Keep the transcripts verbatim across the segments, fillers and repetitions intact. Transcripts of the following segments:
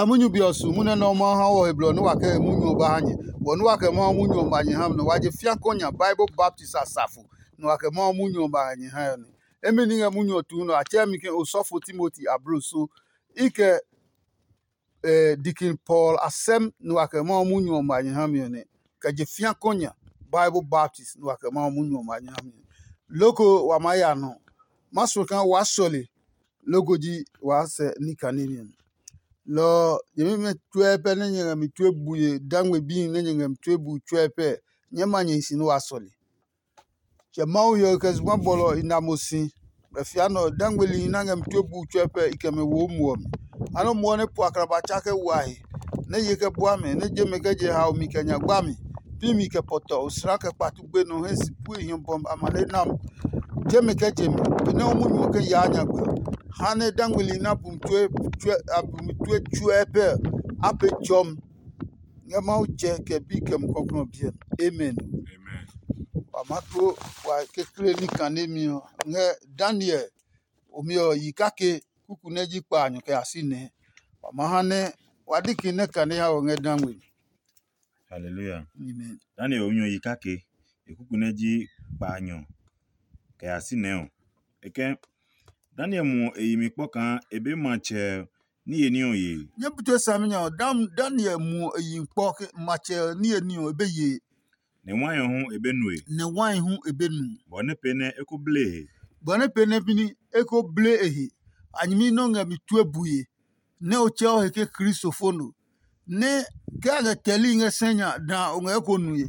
Munyu be ɔ su munyu nɛ Mawu ha wɔ he blɔ nɛ wa kɛ he munyu ɔ ba ha nyɛ. Wɔ nɛ wa kɛ Mawu munyu ɔ ma nyɛ ha mi nɛ wa je fiakɔ nya Bible baptist asafo nɛ wa kɛ Mawu munyu ɔ ba ha nyɛ ha ɔ nɛ. Emi ni ngɛ munyu ɔ tuu nɛ a tsɛɛ mi ke osɔfo Timoti ablo so. I kɛ eh, Deacon Paul asɛm nɛ wa kɛ Mawu munyu ɔ ma nyɛ ha mi ɔ nɛ. Kɛ je fiakɔ nya Bible baptist nɛ wa kɛ Mawu munyu ɔ ma nyɛ ha mi ɔ nɛ. Loko wa maa ya nɔ. Ma suɔ kaa waa sɔle loko ji waa sɛ ní kane mi ɔ nɛ. Lɔ ɔ, nyɛmimɛ tsuɛ pɛ nɛ nyɛ ngɛ mi tue bue dangme bíi nɛ nyɛ ngɛ mi tue bu tsuɛ pɛ, nyɛɛ ma nyɛ hi si nɛ waa sɔle. Kɛ Mawu hyɛ kɛ zugba bɔlɔ i na mo si, kɛ fia nɛ ɔ, dangmeli na ngɛ mi tue buu tsuɛ pɛ i kɛ mɛ wo muɔ mi. Ha nɛ muɔ nɛ pu aklaba tsa kɛ wa he, nɛ ye kɛ bua mɛ, nɛ je mɛ kɛ je hao mi kɛ nya gba mi, pi mi kɛ pɔtɔ, osla kɛ kpatu gbe nɔ hɛ si pue hiɔ bɔm amane nam. Je mɛ kɛ je mi, benɛ o munyu ɔ kɛ yaa nyagbe ɔ, ha nɛ dangmeli na bu mi tue tsuɛ a bu mi tue tsuɛ pɛ ɔ, a pe tsɔm. Ngɛ Mawu tsɛ kɛ bi kɛ mukɔklɔ biɛ. Amen. Amen. Wa maa kplo wa kekle ní kanemi ɔ ngɛ Daniel omi ɔ yi kake kuku nɛ ji kpaanyɔ kɛ ya si nɛ. Wa maa ha nɛ wa diki nɛ kane ha wɔ ngɛ dangwe. Hallelujah. Amen. Daniel omi ɔ yi kake e kuku nɛ ji kpaanyɔ kɛ ya si nɛ ɔ. E kɛ Daniel muɔ e yi mi kpɔ kaa e be matsɛ niye ní ɔ yee. Nyɛ bu tue saminya ɔ, Daniel muɔ e yi kpɔ ke matsɛ niye ní ɔ e be yee. Nɛ wai ɔ hu e be nue. Nɛ wai hu e be nu. Bɔ nɛ pee nɛ e ko blee he. Bɔ nɛ pee nɛ pini e ko blee e he. A nyɛmi nɛ o ngɛ mi tue bue, nɛ o tsɛ o he ke Kristo fo no. Nɛ ke a ngɛ tɛli ngɛ sɛ nya da o ngɛ ko nue.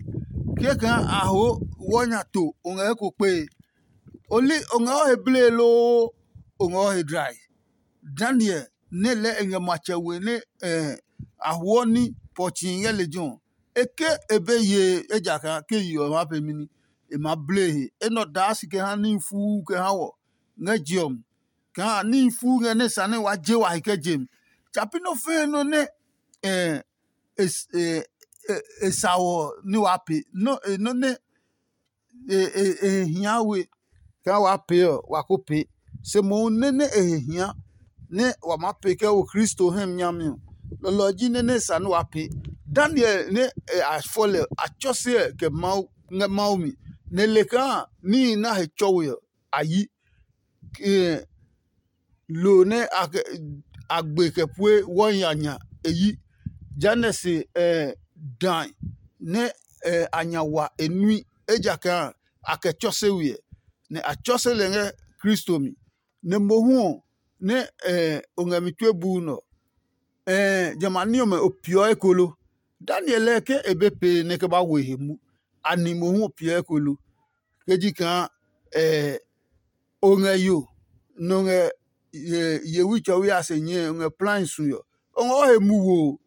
Kekã a ho wɔ nya to o ngɛ ko kpee. O li o ngɛ o he blee loo o ngɛ o he dlae. Daniel nɛ lɛɛ e ngɛ matsɛ we nɛ a huɔ ní pɔtsii ngɛ lejɛ ɔ, e ke e be yee ejakaa ke yi ɔ maa pemi ní, e maa blee he. Enɛ ɔ daa si kɛ ha níhi fuu kɛ ha wɔ ngɛ je ɔ mi. Kaa níhi fuu ngɛ nɛ sa nɛ wa je wa he kɛ je mi. Tsapi nɔ́ fɛɛ nɔ́ nɛ e sa wɔ ní waa pee, nɔ́ nɛ e he hia we kaa waa pee ɔ, wa ko pee. Se mohu nɛ nɛ e he hia nɛ wa maa pee kɛ wo Kristo hɛ mi nyami ɔ, lɔlɔ ɔ ji nɛ nɛ e sa nɛ waa pee. Daniel nɛ a fɔ lɛ ɔ, a tsɔse ɛ kɛ Mawu ngɛ Mawu mi, nɛ le kaa níhi nɛ a he tsɔwe ɔ, a yi. Lo nɛ a gbe kɛ pue wɔhi a nya e yi. Jehanɛ se dae nɛ a nya wa e nui, ejakaa a kɛ tsɔse we ɛ, nɛ a tsɔse lɛ ngɛ Kristo mi. Nɛ mohu ɔ nɛ o ngɛ mi tue buu nɛ ɔ, jamɛ a ní ɔmɛ o peeɔ eko lo? Daniel lɛɛ ke e be pee nɛ e kɛ ba wo e he mu, a ni mohu o peeɔ eko lo? Ke ji kaa o ngɛ yo, nɛ o ngɛ yewi tsɔwi a se nyɛe, o ngɛ plai sue ɔ, o ngɛ o he mu wo ɔ,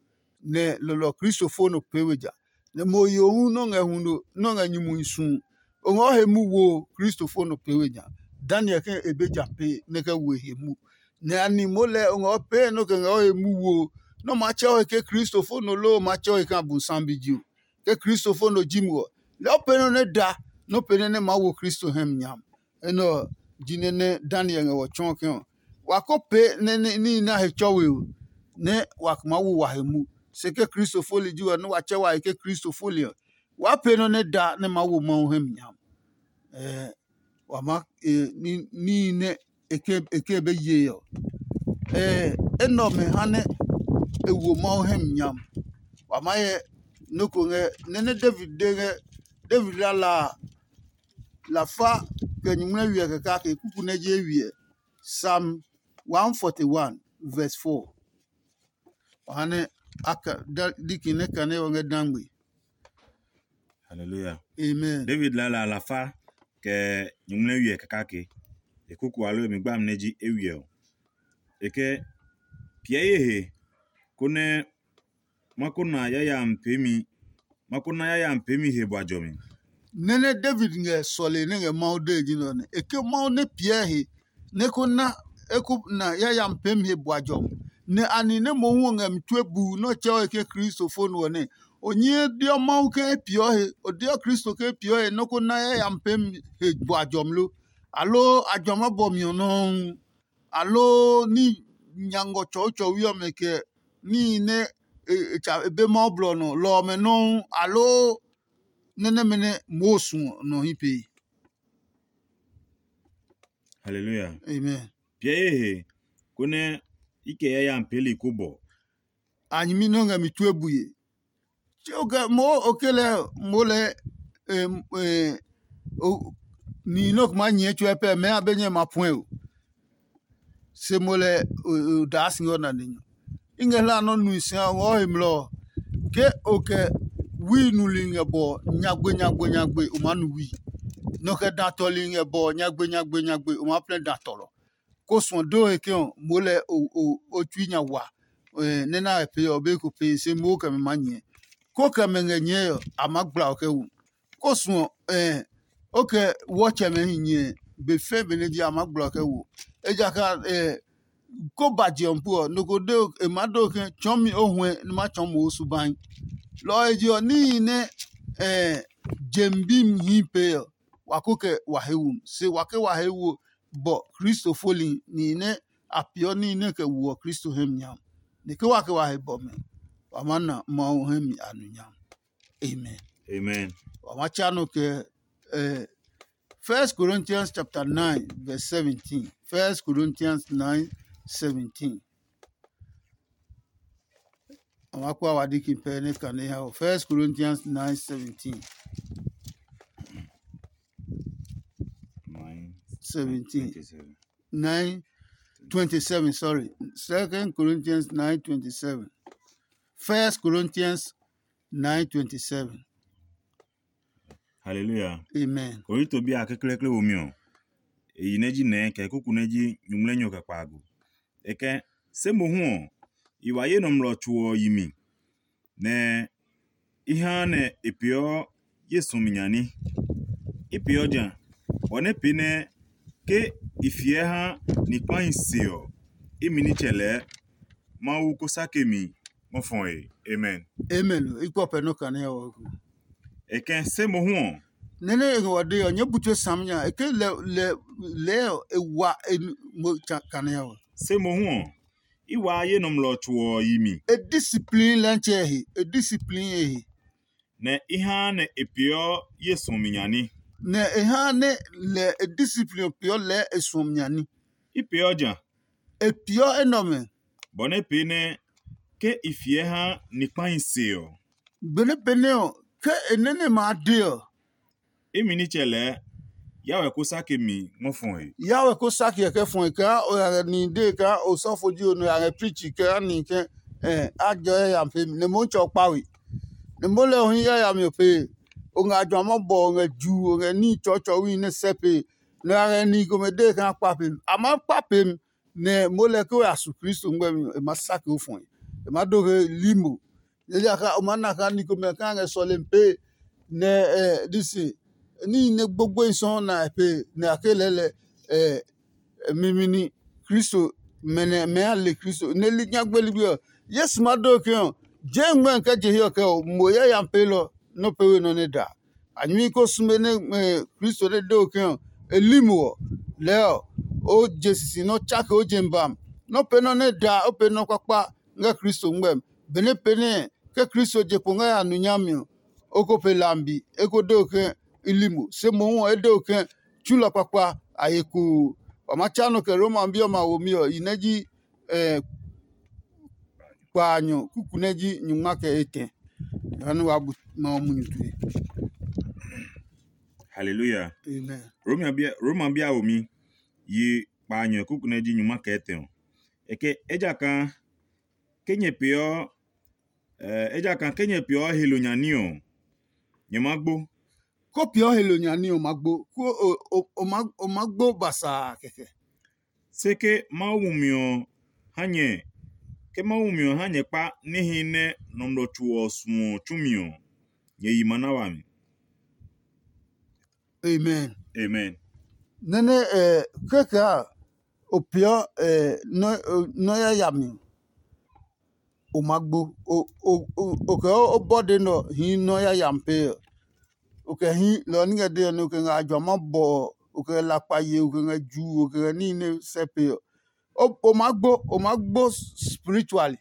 nɛ lɔlɔ Kristo fo nɔ pee we ja. Nɛ mo yo hu nɔ́ ngɛ huno nɔ́ ngɛ nyumuhi su ɔ, o ngɛ o he mu wo ɔ, Kristo fo nɔ pee we ja. Daniel ke e be ja pee nɛ kɛ wo e he mu. Nɛ a ni moo lɛɛ o ngɛ o pee nɔ́ kɛ ngɛ o he mu wo ɔ, nɔ́ maa tsɛ o he ke Kristo fo nɔ loo o maa tsɛ o he ke Abosiami bi ji o. Ke Kristo fo nɔ ji mo ɔ, lɛɛ o pee nɔ́ nɛ da nɛ o pee nɛ nɛ maa wo Kristo hɛ mi nya. Enɛ ɔ ji nɛ nɛ Daniel ngɛ wɔ tsɔɔ ke ɔ, wa ko pee nɛ níhi nɛ a he tsɔ we ɔ, nɛ wa maa wo wa he mu. Se ke Kristo foli ji wɛ nɛ wa tsɛ wa he ke Kristo foli ɔ, waa pee nɔ́ nɛ da nɛ maa wo Mawu hɛ mi nya. Ɛɛ, wa maa níhi nɛ e ke be ye ɔ. Ɛɛ, enɛ ɔmɛ ha nɛ e wo Mawu hɛ mi nya. Wa maa hyɛ nɔ́ ko ngɛ nɛ nɛ David de ngɛ David lala a, lafa kɛ nyumu nɛ wiɛ kɛkɛ a ke kuku nɛ je wiɛ. Psalm one forty-one verse four. Wa ha nɛ a ka diki nɛ kane ɔ ngɛ dangbe. Hallelujah. Amen. David lala a lafa kɛ nyumu nɛ wiɛ kɛkɛ a ke. E kuku alo e mi gbami nɛ ji e wiɛ ɔ. E ke piɛ ye he konɛ ma ko na yayami peemi ma ko na yayami peemi he bua jɔmi. Nɛ nɛ David ngɛ sɔle nɛ ngɛ Mawu dee ji nɛ ɔ nɛ e ke Mawu nɛ piɛ he nɛ ko na eko na yayami peemi he bua jɔmi. Nɛ ani nɛ mohu ɔ ngɛ mi tue buu nɛ ɔ tsɛɔ he ke Kristo fo no ɔ nɛ, o nyɛɛ deɔ Mawu ke e piɔ he, o deɔ Kristo ke e piɔ he nɛ ko na yayami peemi he bua jɔmi lo? Aloo a jua ma bɔ mi ɔ nɔuu? Aloo ní nya ngɔ tsɔɔtsɔwi ɔmɛ kɛ níhi nɛ e tsa e be Mawu blɔ ɔ nɔ lɔ ɔmɛ nɔuu, aloo nɛ nɛmɛ nɛ moo suɔ nɔ hyi pee. Hallelujah. Amen. Piɛ ye he, konɛ i kɛ yayami peeli ko bɔ. A nyɛmi nɛ o ngɛ mi tue bue. Tse o kɛ moo o ke lɛ moo lɛ nihi nɛ o kuma nyɛɛ tsuɛ pɛ mɛɛ a be nyɛ ma puɛ o. Se mo lɛ o daa si ɔ nane nyɔ. I ngɛ hla nɔ́ nui si a ngɔ he mlɔ ɔ, ke o kɛ wui nuli ngɛ bɔ nyagbe nyagbe nyagbe o maa nu wui. Nɔ kɛ da tɔli ngɛ bɔ nyagbe nyagbe nyagbe o maa plɛ da tɔlɔ. Ko suɔ do he ke ɔ, moo lɛ o tsui nya wa nɛ na he pee ɔ, be ko pee se moo kɛ mɛ maa nyɛɛ. Ko kɛ mɛ ngɛ nyɛɛ ɔ, a maa gbla ɔ kɛ wu. Ko suɔ o kɛ wɔtsɛmɛ hi nyɛɛ be fɛ benɛ ji a maa gbla ɔ kɛ wu. Ejakaa ko ba je ɔ pu ɔ, nɔ ko de e maa de ke tsɔɔmi o huɛ nɛ ma tsɔɔ mo o subahi. Lɔ ɔ he je ɔ, níhi nɛ jem bi hi pee ɔ, wa ko kɛ wa he wo se wa ke wa he wo bɔ Kristo foli nihi nɛ a peeɔ níhi nɛ kɛ woɔ Kristo hɛ mi nya. Nɛ ke wa ke wa he bɔmɛ, wa maa na Mawu hɛ mi a nu nya. Amen. Amen. Wa ma tsa nɔ kɛ eh, First Corinthians chapter nine verse seventeen. First Corinthians nine seventeen. Wa ma kpa wa diki pɛ ne kane ha o. First Corinthians nine seventeen. Nine. Seventeen. Nine twenty-seven, sorry. Second Corinthians nine twenty-seven. First Corinthians nine twenty-seven. Hallelujah. Amen. Korinto bi a kekleekle womi ɔ, e yi nɛ ji nɛɛ kɛ kuku nɛ ji nyuŋmlɛnyɔ kɛ kpaago. E kɛ, se mohu ɔ, i wa ye nɔmlɔ tso ɔ yi mi, nɛ i ha nɛ e peeɔ ye suɔmi nya ní. I peeɔ ja, bɔ nɛ pee nɛ ke i fiɛ ha ni kpahi se ɔ, imi nitsɛ lɛɛ Mawu ko sake mi ngɔ fɔe. Amen. Amen. I kpɔ pɛ nɔ kane ɔ. E kɛ se mohu ɔ. Nɛ nɛ e ngɔ de ɔ, nyɛ bu tue sam nya. E ke lɛ lɛ lɛ ɔ, e wa e mo kane ɔ. Se mohu ɔ, i waa ye nɔmlɔ tso ɔ yi mi. E discipline lɛ ntsɛ he. E discipline e he. Nɛ i ha nɛ e peeɔ ye suɔmi nya ní. Nɛ e ha nɛ lɛ e discipline ɔ peeɔ lɛɛ e suɔmi nya ní. I peeɔ ja. E peeɔ enɛ ɔmɛ. Bɔ nɛ pee nɛ ke i fiɛ ha ni kpahi se ɔ. Benɛ pɛnɛ ɔ, ke e nɛ nɛ ma de ɔ, imi nitsɛ lɛɛ Yawɛ ko sake mi ngɔ fɔe. Yawɛ ko sake ɛ kɛ fɔe kaa o ya ngɛ nihi dee kaa osɔfo ji o nɔ ya ngɛ pichi kaa nihi kɛ a jɔ yayami pee mi nɛ Motsɛ ɔ kpa we. Nɛ mo lɛ ɔ hi yayami ɔ pee. O ngɛ ajwamɔ bɔ, o ngɛ juu, o ngɛ níhi tsɔɔtsɔɔwi nɛ sɛ pee, nɛ a ngɛ nihi komɛ dee kaa kpa pee mi. A maa kpa pee mi, nɛ mo lɛ ke o ya su Kristo ngmɛmi ɔ, e ma sake o fɔe. E ma do he limo. Ejakaa o maa na kaa ni komɛ kaa ngɛ sɔlemi pee, nɛ ɛ disi níhi nɛ gbogboehi sɔɔ na e pee, nɛ a ke lɛɛ lɛ ɛ mimi ní Kristo, mɛ nɛ mɛ a le Kristo nɛ li nyagbe ligbi ɔ. Yesu ma do ke ɔ, jee ngmɛmi kɛ je hiɛ ɔ kɛ ɔ, mo yayami peelɔ nɔ́ pɛ we nɔ nɛ da. A nyɛmi ko sume nɛ Kristo nɛ de o ke ɔ, e li mo ɔ, lɛɛ ɔ, o je sisi nɛ o tsake o je mi ba mi. Nɔ́ pɛ nɔ́ nɛ da o pɛ nɔ́ kpakpa ngɛ Kristo ngmɛmi. Benɛ pɛnɛ ke Kristo je kpo ngɛ ya nu nyami ɔ, o ko pe lambi, e ko de o ke i li mo. Se mohu ɔ, e de o ke tsulɔ kpakpa a ye koo. Wa ma tsa nɔ kɛ Roma bi ɔmɛ a womi ɔ, i nɛ ji kpaanyɔ kuku nɛ ji nyungma kɛ etɛ. Jehanɛ wa bu Mawu munyu tue. Hallelujah. Amen. Roma bia Roma bia womi yi kpaanyɔ kuku nɛ ji nyungma kɛ etɛ ɔ. Eke ejakaa ke nyɛ peeɔ eh, ejakaa ke nyɛ peeɔ helo nya ní ɔ, nyɛ maa gbo. Ko peeɔ helo nya ní ɔ ma gbo, ko o, o, o, ma, o ma gbo basaa kɛkɛ. Se ke Mawu mumi ɔ ha nyɛ ke Mawu mumi ɔ ha nyɛ kpa níhi nɛ nɔmlɔ tso ɔ suɔ tsumi ɔ, nyɛ yi ma na wami. Amen. Amen. Nɛ́ nɛ ɛ kɛkɛ a o peeɔ ɛ nɔ́ nɔ́ yayami, o ma gbo. O o o kɛ o bɔde nɛ ɔ hii nɔ́ yayami pee ɔ. O kɛ hii lɔ ɔ ní kɛ de ɔ nɛ o kɛ ngɛ ajwama bɔ ɔ, o kɛ ngɛ lakpa ye, o kɛ ngɛ juu, o kɛ ngɛ níhi nɛ sɛ pe ɔ. O o ma gbo, o ma gbo spiritually.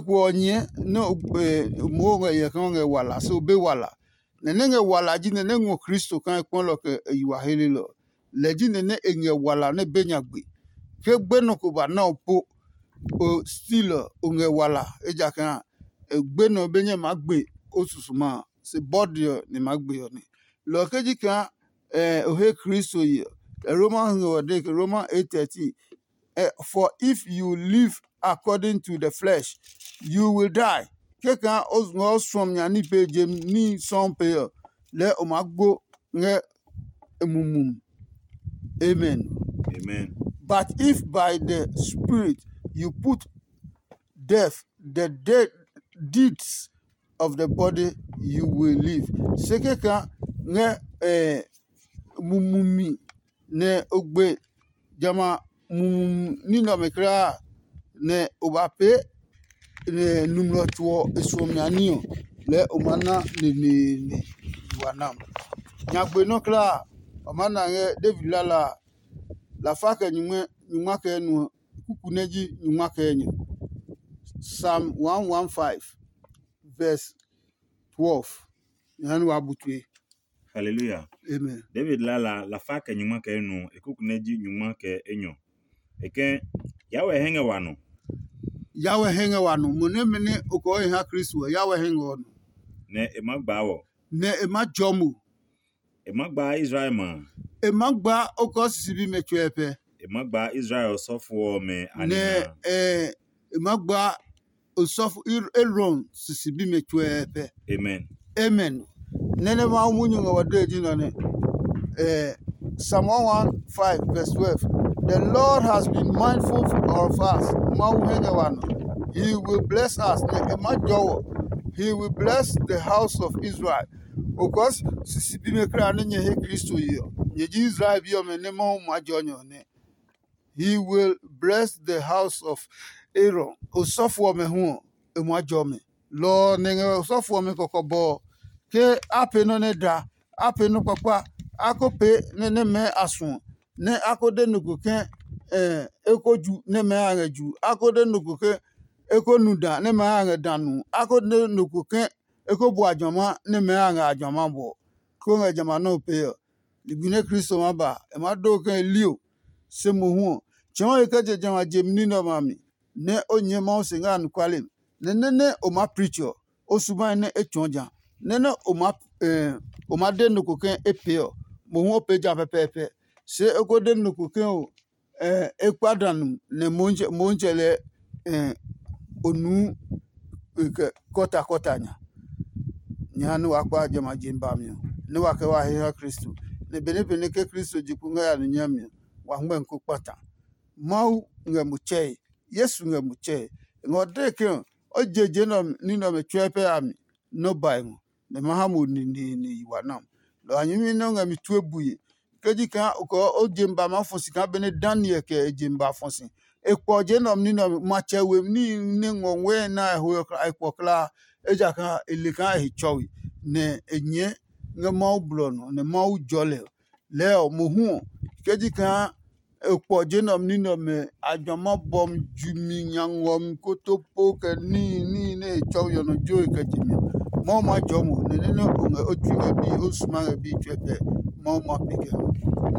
Ko ɔ nyɛ nɛ o moo ngɛ yɛ kaa o ngɛ wala se o be wala. Nɛ nɛ ngɛ wala ji nɛ nɛ ngɔ Kristo kaa e kpɔlɔ kɛ e yi wa helelɔ. Lɛ ji nɛ nɛ e ngɛ wala nɛ be nya gbe. Ke gbenɔ ko ba na o po, o stil ɔ, o ngɛ wala, ejakaa gbenɔ be nyɛ maa gbe o susuma a, se bɔde ɔ nɛ maa gbe ɔ nɛ. Lɔ ɔ ke ji kaa o he Kristo ye ɔ, Roma ngɛ ɔ de ke Roma eight thirteen, eh, for if you live according to the flesh, you will die. Kekã o ngɛ o suɔmi nya ní pee je ní sɔuu pee ɔ, lɛɛ o maa gbo ngɛ e mumi. Amen. Amen. But if by the Spirit you put death, the dead deeds of the body, you will live. Se kekã ngɛ eh, mumi mi nɛ o gbe jamɛ a mumi ní nɛ ɔmɛ kulaa a, nɛ o ba pee nɛ nɔmlɔ tso ɔ e suɔmi a ní ɔ, lɛɛ o maa na neneene wa nam. Nyagbe nɔ́ kulaa a, o maa na ngɛ David lala a, lafa kɛ nyungma kɛ enuɔ, kuku nɛ ji nyungma kɛ enyɔ. Psalm one one five, verse twelve. Jehanɛ wa bu tue. Hallelujah. Amen. David lala lafa kɛ nyungma kɛ enuɔ, e kuku nɛ ji nyungma kɛ enyɔ. E ke, Yawɛ hɛ ngɛ wa nɔ. Yawɛ hɛ ngɛ wa nɔ. Mo nɛ mɛ nɛ o kɛ o he ha Kristo ɔ, Yawɛ hɛ ngɛ ɔ nɔ. Nɛ e ma gbaa wɔ. Nɛ e ma jɔ mo. E ma gbaa Israel ma. E ma gbaa o kɛ o sisi bimɛ tsuɛ pɛ. E ma gbaa Israel osɔfo ɔmɛ a nina. Nɛ e ma gbaa osɔfo Aaron sisi bimɛ tsuɛ pɛ. Amen. Amen. Nɛ́ nɛ Mawu munyu ngɛ wa dee ji nɔ nɛ. Eh, Psalm one one five verse twelve. The Lord has been mindful of us. Mawu hɛ ngɛ wa nɔ. He will bless us. Nɛ e ma jɔ wɔ. He will bless the house of Israel. Okɔs sisi bimɛ kra nɛ nyɛ he Kristo ye ɔ, nyɛ ji Israel bi ɔmɛ nɛ Mawu ma jɔ nyɛ ɔ nɛ. He will bless the house of Aaron. Osɔfo ɔmɛ hu ɔ, e ma jɔ mɛ. Lɔ ɔ nɛ ngɛ osɔfo ɔmɛ kɔkɔbɔ ɔ, ke a pee nɔ́ nɛ da, a pee nɔ́ kpakpa, a ko pee nɛ nɛ mɛɛ a suɔ, nɛ a ko de nɔ ko ke e ko ju nɛ mɛɛ a ngɛ ju, a ko de nɔ ko ke e ko nu da nɛ mɛɛ a ngɛ da nu, a ko de nɔ ko ke e ko bua jɔma nɛ mɛɛ a ngɛ a jɔma bɔ, ko ngɛ jamɛ a nɔ́ pee ɔ. Ligbi nɛ Kristo ma ba, e maa do ke e li o, se mohu ɔ, tsɔɔ he kɛ je jamɛ a je ní nɛ ɔmɛ a mi, nɛ o nyɛɛ Mawu se ngɛ anɔkuale mi. Nɛ nɛ́ nɛ o maa preach ɔ, o subahi nɛ e tsɔɔ ja. Nɛ́ nɛ o maa o maa de nɔ ko ke e pee ɔ, mohu o pee ja pɛpɛɛpɛ. Se o ko de nɔ ko ke o e kpa da nu nɛ Motsɛ lɛɛ o nuu kɔta kɔta nya. Nyɛ ha nɛ wa kpa jamɛ a je mi ba mi ɔ, nɛ wa kɛ wa he ha Kristo. Nɛ benɛ benɛ ke Kristo je kpo ngɛ ya nɔ nyami ɔ, wa hmɛ ko kpata. Mawu ngɛ mo tsɛe, Yesu ngɛ mo tsɛe. Ngɛ ɔ dee ke ɔ, o je je nɛ ɔ ní nɛ ɔmɛ tsuɛ pɛ a mi, nɛ o ba e ngɔ, nɛ ma ha mo neneene yi wa nam. Lɔ a nyɛmi nɛ o ngɛ mi tue bue. Ke ji kaa o kɛ o je mi ba maa fɔ si kaa benɛ Daniel kɛ e je mi ba fɔ si. E kpɔ je nɛ ɔ ní nɛ ɔ matsɛ we ní nɛ ngɔ wɛɛ na e ho ɔ e kpɔ kulaa, ejakaa e le kaa e he tsɔwi, nɛ e nyɛɛ ngɛ Mawu blɔ nɔ, nɛ Mawu jɔ lɛ. Lɛɛ ɔ, mohu ɔ, ke ji kaa e kpɔ je nɛ ɔ ní nɛ ɔmɛ a jua ma bɔmi ju mi nya ngɔ mi koto po kɛ níhi níhi nɛ e tsɔwi ɔ nɔ joe kɛ je mi ɔ, Mawu maa jɔɔ mo, nɛ nɛ nɛ o ngɛ o tsui ngɛ bíi o suma ngɛ bíi tsuɛ pɛ, Mawu ma pe kɛ ho.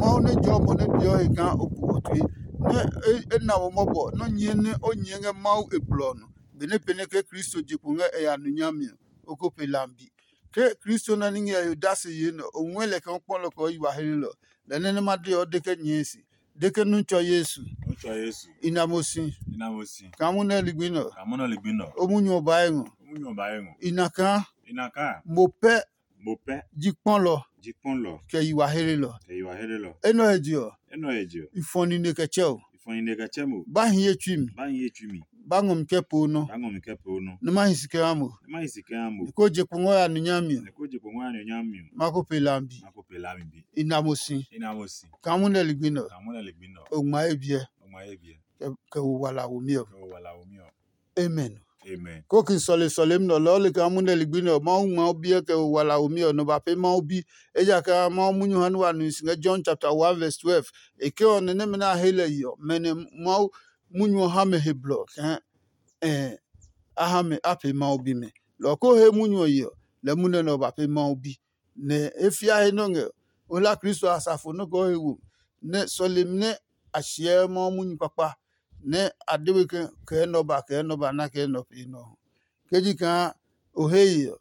Mawu nɛ jɔɔ mo nɛ peeɔ he kaa o bu ɔ tue, nɛ e na mo mɔbɔ nɛ o nyɛɛ nɛ o nyɛɛ ngɛ Mawu e blɔ ɔ nɔ. Benɛ pɛnɛ ke Kristo je kpo ngɛ e ya nu nyami ɔ, o ko pe lambi. Ke Kristo nɛ ní ngɛ he odase yee nɛ o ngɔɛ lɛ kaa o kpɔ lɛ kɛ o yi wa helelɔ. Lɛ nɛ nɛ ma de ɔ de kɛ nyɛɛ se, de ke nu tsɔ Yesu. Nu tsɔ Yesu. I na mo si. I na mo si. Kaa munyu nɛ ligbi nɛ ɔ. Kaa munyu nɛ ligbi nɛ ɔ. O munyu ɔ ba e ngɔ. O munyu ɔ ba e ngɔ. I na kaa. I na kaa. Mo pɛ. Mo pɛ. Ji kpɔlɔ. Ji kpɔlɔ. Kɛ yi wa helelɔ. Kɛ yi wa helelɔ. Enɛ ɔ he je ɔ. Enɛ ɔ he je ɔ. I fɔ nine kɛ tsɛ o. I fɔ nine kɛ tsɛ mo. Ba hi ye tsui mi. Ba hi ye tsui mi. Ba ngɔ mi kɛ poo nɔ. Ba ngɔ mi kɛ poo nɔ. Nɛ ma hi si kɛ ha mo. Nɛ ma hi si kɛ ha mo. Nɛ ko je kpo ngɔ ya nu nyami ɔ. Nɛ ko je kpo ngɔ ya nu nyami ɔ. Ma ko pe lambi. Ma ko pe lambi. I na mo si. I na mo si. Kaa munyu nɛ ligbi nɛ ɔ. Kaa munyu nɛ ligbi nɛ ɔ. O ngma ye biɛ. O ngma ye biɛ. Kɛ wo wala wo mi ɔ. Kɛ wo wala wo mi ɔ. Amen. Amen. Ko ki sɔle sɔlemi nɛ ɔ lɛɛ o le kaa munyu nɛ ligbi nɛ ɔ Mawu ngma o biɛ kɛ wo wala wo mi ɔ nɔ ba pee Mawu bi. Ejakaa Mawu munyu ha nɛ wa nu si ngɛ John chapter one verse twelve. E ke ɔ nɛ nɛmɛ nɛ a he lɛ yi ɔ, mɛ nɛ Mawu munyu ɔ ha mɛ he blɔ kaa a ha mɛ a pee Mawu bimɛ. Lɔ ɔ koo he munyu ɔ ye ɔ, lɛ munɛ nɛ ɔ ba pee Mawu bi. Nɛ e fia he nɔ́ ngɛ o hla Kristo a asafo nɔ́ kɛ o he wo, nɛ sɔlemi nɛ a hyɛɛ Mawu munyu kpakpa, nɛ a de we ke kɛɛ nɛ ɔ ba kɛɛ nɛ ɔ ba na kɛɛ nɛ ɔ pee nɛ ɔ hu. Ke ji kaa o he ye ɔ,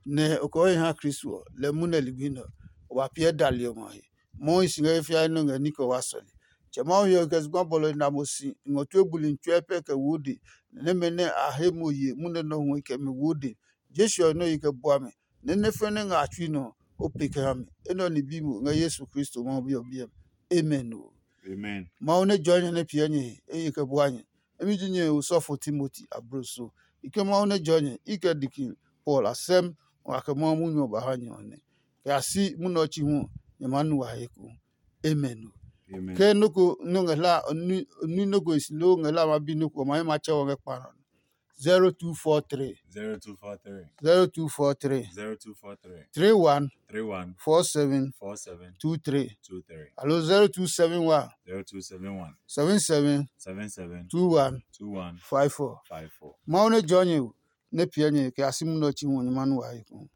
nɛ o kɛ o he ha Kristo ɔ, lɛ munɛ ligbi nɛ ɔ, o ba piɛ dali ɔmɛ a he. Mawu hi si ngɛ he fiae nɔ ngɛ ní kɛ wa sɔle. Tsɛ Mawu he ɔ kɛ zugba bɔlɔ na mo si ngɔ tue buli tsuɛ pɛ kɛ wo de, nɛ nɛmɛ nɛ a he mo ye munɛ nɔ hu kɛ mi wo de. Jesu ɔ nɔ yi kɛ bua mi, nɛ nɛ fɛnɛ ngɛ a tsui nɔ ɔ, o pe kɛ ha mi. Enɛ ɔ ni bi mo ngɛ Yesu Kristo Mawu Bi ɔ biɛ mi. Amen o. Amen. Mawu nɛ jɔɔ nyɛ nɛ piɛ nyɛ he, eye kɛ bua nyɛ. Emi ji nyɛ he osɔfo Timoti abloso. I ke Mawu nɛ jɔɔ nyɛ, i kɛ diki Paul asɛm ngɔ a kɛ Mawu munyu ɔ ba ha nyɛ ɔ nɛ. Kɛ a si munɛ ɔ chi hu ɔ, nyɛ maa nu wa he ko. Amen o. Amen. Ke nɔ́ ko nɔ́ ngɛ hla nui nɔ́ ko e si loo ngɛ hla ma bi nɔ́ ko ɔ ma hɛ ma tsɛ wɔ ngɛ kpa nɔ. Zero two four three. Zero two four three. Zero two four three. Zero two four three. Three one. Three one. Four seven. Four seven. Two three. Two three. Alo zero two seven one. Zero two seven one. Seven seven. Seven seven. Two one. Two one. Five four. Five four. Mawu nɛ jɔɔ nyɛ o, nɛ piɛ nyɛ kɛ a si munɛ ɔ chi hu ɔ nyɛ ma nu wa he ko.